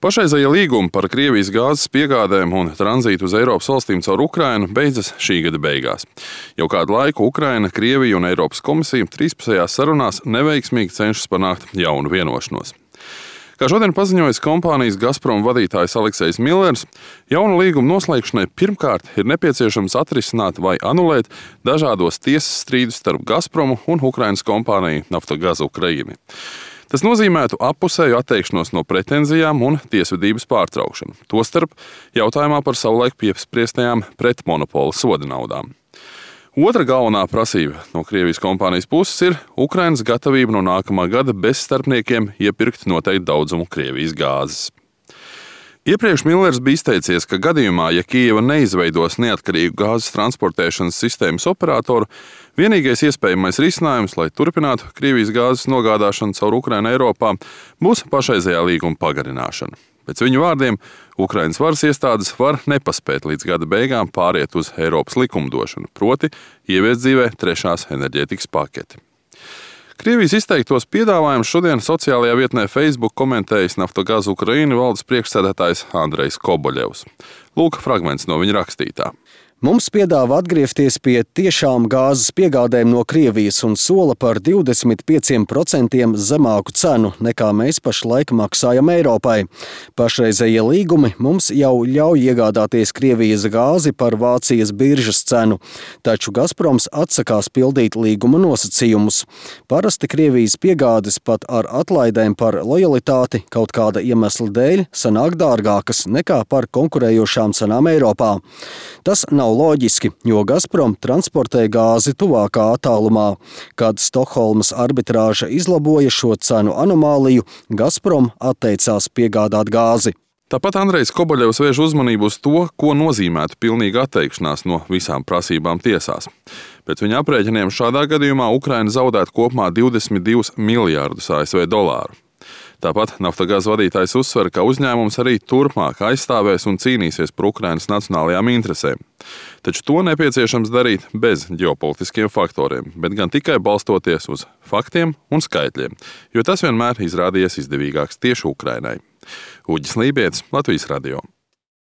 Pašreizējie līgumi par Krievijas gāzes piegādēm un tranzītu uz Eiropas valstīm caur Ukrainu beidzas šī gada beigās. Jau kādu laiku Ukraina, Krievija un Eiropas komisija trīspusējās sarunās neveiksmīgi cenšas panākt jaunu vienošanos. Kā šodien paziņojis kompānijas Gazprom vadītājs Aleksejs Millers, jaunu līgumu noslēgšanai pirmkārt ir nepieciešams atrisināt vai anulēt dažādos tiesas strīdus starp Gazpromu un Ukrainas kompāniju Naftogaz Ukraina. Tas nozīmētu appusēju atteikšanos no pretenzijām un tiesvedības pārtraukšanu, tostarp jautājumā par savulaik piespriestajām pretmonopola soda naudām. Otra galvenā prasība no Krievijas kompānijas puses ir Ukrainas gatavība no nākamā gada bez starpniekiem iepirkt noteiktu daudzumu Krievijas gāzes. Iepriekš Millers bija izteicies, ka gadījumā, ja Kijeva neizveidos neatkarīgu gāzes transportēšanas sistēmas operatoru, vienīgais iespējamais risinājums, lai turpinātu Krievijas gāzes nogādāšanu caur Ukrainu Eiropā, būs pašreizējā līguma pagarināšana. Pēc viņu vārdiem, Ukrainas varas iestādes var nepaspēt līdz gada beigām pāriet uz Eiropas likumdošanu, proti ieviest dzīvē trešās enerģētikas paketi. Krievijas izteiktos piedāvājumus šodien sociālajā vietnē Facebook komentējis Naftogaz Ukraina valdes priekšsēdētājs Andrejs Koboļevs. Lūk, fragments no viņa rakstītā. Mums piedāvā atgriezties pie tiešām gāzes piegādēm no Krievijas un sola par 25% zemāku cenu, nekā mēs pašlaik maksājam Eiropai. Pašreizējie līgumi mums jau ļauj iegādāties Krievijas gāzi par Vācijas biržas cenu, taču Gazproms atsakās pildīt līguma nosacījumus. Parasti Krievijas piegādes pat ar atlaidēm par lojalitāti kaut kāda iemesla dēļ sanāk dārgākas nekā par konkurējošām cenām Eiropā. Tas nav loģiski, jo Gazprom transportē gāzi tuvākā attālumā. Kad Stokholmas arbitrāža izlaboja šo cenu anomāliju, Gazprom atteicās piegādāt gāzi. Tāpat Andrejs Koboļevs vērš uzmanību uz to, ko nozīmētu pilnīga atteikšanās no visām prasībām tiesās. Pēc viņa aprēķiniem šādā gadījumā Ukraina zaudētu kopumā 22 miljārdus ASV dolāru. Tāpat Naftogaz vadītājs uzsver, ka uzņēmums arī turpmāk aizstāvēs un cīnīsies par Ukrainas nacionālajām interesēm. Taču to nepieciešams darīt bez ģeopolitiskiem faktoriem, bet gan tikai balstoties uz faktiem un skaitļiem, jo tas vienmēr izrādījies izdevīgāks tieši Ukrainai. Uģis Lībietis, Latvijas radio.